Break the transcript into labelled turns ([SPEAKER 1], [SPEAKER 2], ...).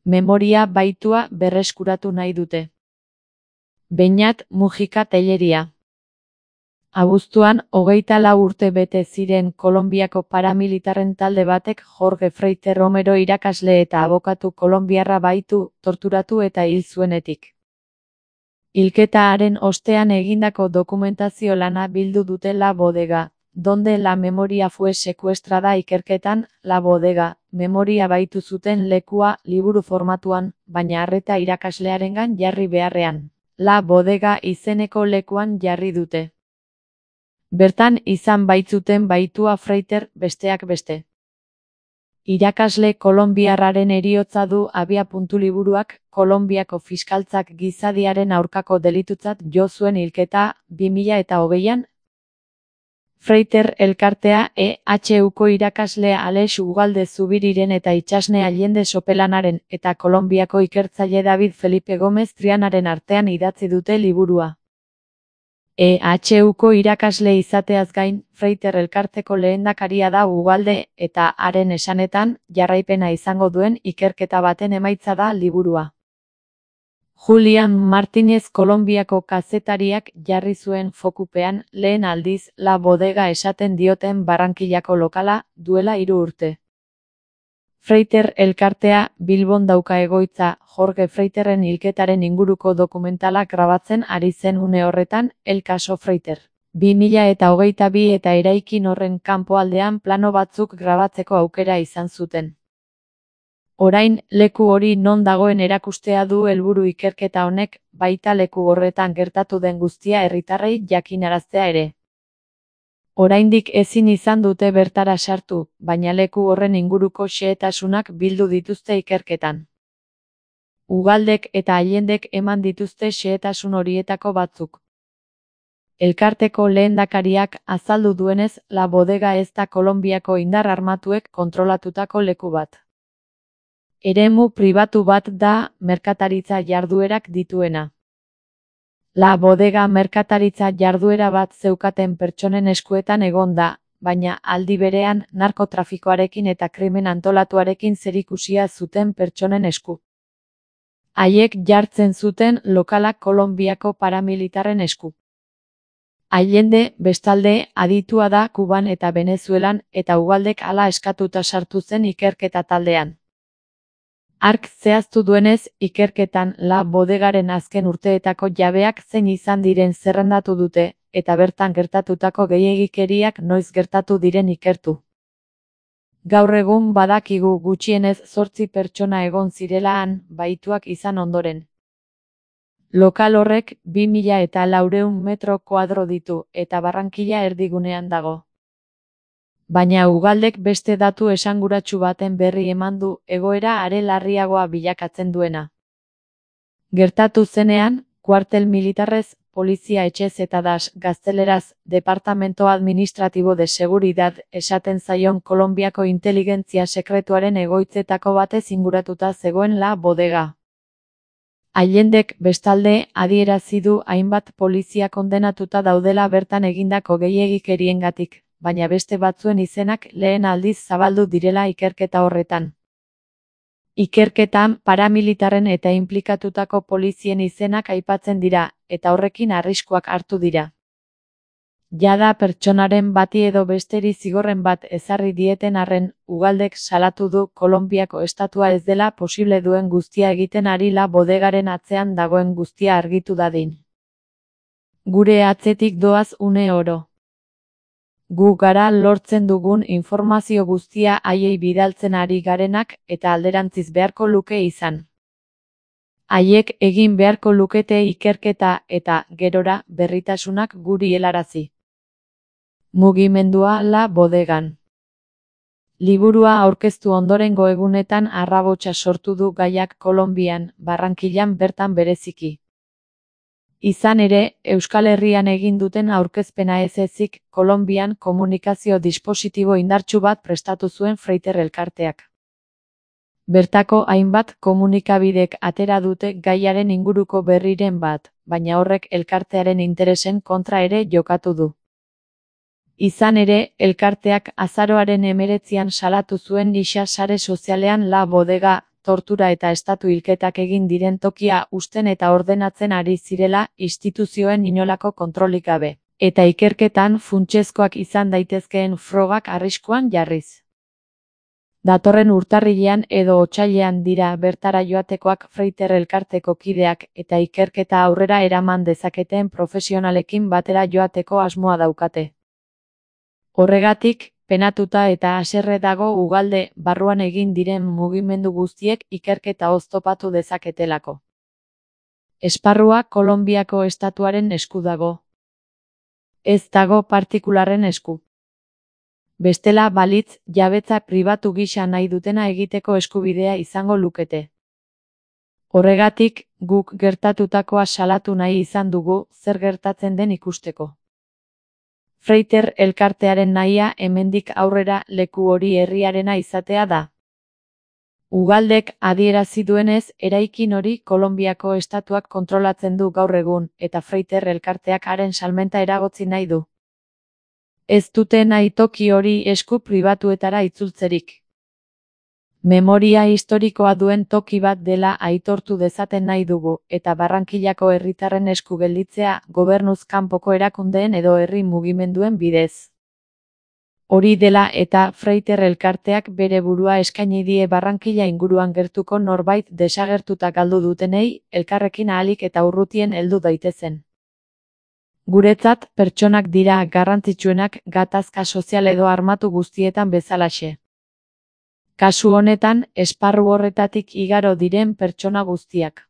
[SPEAKER 1] Memoria baitua berreskuratu nahi dute. Beñat Mujika Telleria. Abuztuan, 24 urte bete ziren Kolonbiako paramilitarren talde batek Jorge Freiter Romero irakasle eta abokatu kolonbiarra baitu, torturatu eta hil zuenetik. Hilketaren ostean egindako dokumentazio lana bildu dute La Bodega, donde la memoria fue secuestrada ikerketan, La Bodega, memoria baitu zuten lekua liburu formatuan, baina arreta irakaslearengan jarri beharrean. La Bodega izeneko lekuan jarri dute. Bertan izan baitzuten baitua Freiter, besteak beste. Irakasle kolonbiarraren heriotza du abiapuntu liburuak, Kolonbiako fiskaltzak gizadiaren aurkako delitutzat jo zuen hilketa, 2020an. Freiter elkartea EHUko irakasle Alex Ugalde Zubiriren eta itsasne Allende Sopelanaren eta Kolonbiako ikertzaile David Felipe Gomez Trianaren artean idatzi dute liburua. EHUko irakasle izateaz gain, Freiter elkarteko lehendakaria da Ugalde eta haren esanetan, jarraipena izango duen ikerketa baten emaitza da liburua. Julian Martínez Kolonbiako kazetariak jarri zuen fokupean lehen aldiz La Bodega esaten dioten Barrankillako lokala, duela 3 urte. Freiter elkartea Bilbon dauka egoitza, Jorge Freiterren hilketaren inguruko dokumentalak grabatzen ari zen une horretan, El Caso Freiter. 2022 eta eraikin horren kanpoaldean plano batzuk grabatzeko aukera izan zuten. Orain, leku hori non dagoen erakustea du helburu ikerketa honek, baita leku horretan gertatu den guztia herritarrei jakinaraztea ere. Oraindik ezin izan dute bertara sartu, baina leku horren inguruko xehetasunak bildu dituzte ikerketan. Ugaldek eta Allendek eman dituzte xehetasun horietako batzuk. Elkarteko lehendakariak azaldu duenez, La Bodega ez da Kolonbiako indar armatuek kontrolatutako leku bat. Eremu pribatu bat da, merkataritza jarduerak dituena. La Bodega merkataritza jarduera bat zeukaten pertsonen eskuetan egon da, baina aldi berean narkotrafikoarekin eta krimen antolatuarekin zerikusia zuten pertsonen esku. Haiek jartzen zuten lokalak Kolonbiako paramilitarren esku. Allende, bestalde, aditua da Kuban eta Venezuelan eta Ugaldek hala eskatuta sartu zen ikerketa taldean. Hark zehaztu duenez, ikerketan La Bodegaren azken urteetako jabeak zein izan diren zerrendatu dute, eta bertan gertatutako gehiegikeriak noiz gertatu diren ikertu. Gaur egun badakigu gutxienez 8 pertsona egon zirela han, baituak izan ondoren. Lokal horrek 2400 metro koadro ditu, eta Barrankilla erdigunean dago. Baina Ugaldek beste datu esanguratsu baten berri eman du, egoera are larriagoa bilakatzen duena. Gertatu zenean, kuartel militarrez, polizia etxez eta das, gazteleraz, Departamento Administratibo de Seguridad esaten zaion Kolonbiako inteligentzia sekretuaren egoitzetako batez inguratuta zegoen La Bodega. Allendek, bestalde, adierazi du hainbat polizia kondenatuta daudela bertan egindako gehiegikeriengatik, baina beste batzuen izenak lehen aldiz zabaldu direla ikerketa horretan. Ikerketan paramilitarren eta inplikatutako polizien izenak aipatzen dira, eta horrekin arriskuak hartu dira. Jada pertsonaren bati edo besteri zigorren bat ezarri dieten arren, Ugaldek salatu du Kolonbiako estatua ez dela posible duen guztia egiten ari La Bodegaren atzean dagoen guztia argitu dadin. Gure atzetik doaz une oro. Gu gara lortzen dugun informazio guztia haiei bidaltzen ari garenak eta alderantziz beharko luke izan. Haiek egin beharko lukete ikerketa eta, gerora, berritasunak guri helarazi. Mugimendua La Bodegan. Liburua aurkeztu ondorengo egunetan arrabotsa sortu du gaiak Kolonbian, Barrankillan bertan bereziki. Izan ere, Euskal Herrian egin duten aurkezpena ez ezik, Kolonbian komunikazio dispositibo indartsu bat prestatu zuen Freiter elkarteak. Bertako hainbat komunikabidek atera dute gaiaren inguruko berriren bat, baina horrek elkartearen interesen kontra ere jokatu du. Izan ere, elkarteak azaroaren 19an salatu zuen gisa sare sozialean La Bodega, tortura eta estatu hilketak egin diren tokia uzten eta ordenatzen ari zirela instituzioen inolako kontrolik gabe, eta ikerketan funtsezkoak izan daitezkeen frogak arriskuan jarriz. Datorren urtarrilean edo otsailean dira bertara joatekoak Freighter elkarteko kideak eta ikerketa aurrera eraman dezaketen profesionalekin batera joateko asmoa daukate. Horregatik, penatuta eta haserre dago Ugalde barruan egin diren mugimendu guztiek ikerketa oztopatu dezaketelako. Esparrua Kolonbiako estatuaren esku dago. Ez dago partikularren esku. Bestela balitz, jabetza pribatu gisa nahi dutena egiteko eskubidea izango lukete. Horregatik, guk gertatutakoa salatu nahi izan dugu zer gertatzen den ikusteko. Freighter elkartearen nahia hemendik aurrera leku hori herriarena izatea da. Ugaldek adierazi duenez, eraikin hori Kolonbiako estatuak kontrolatzen du gaur egun, eta Freighter elkarteak haren salmenta eragotzi nahi du. Ez dute nahi toki hori esku pribatuetara itzultzerik. Memoria historikoa duen toki bat dela aitortu dezaten nahi dugu, eta Barrankillako herritarren esku gelditzea gobernuz kanpoko erakundeen edo herri mugimenduen bidez. Hori dela eta Freighter elkarteak bere burua eskaini die Barrankilla inguruan gertuko norbait desagertuta galdu dutenei, elkarrekin ahalik eta urrutien heldu daitezen. Guretzat, pertsonak dira garrantzitsuenak gatazka sozial edo armatu guztietan bezalaxe. Kasu honetan, esparru horretatik igaro diren pertsona guztiak.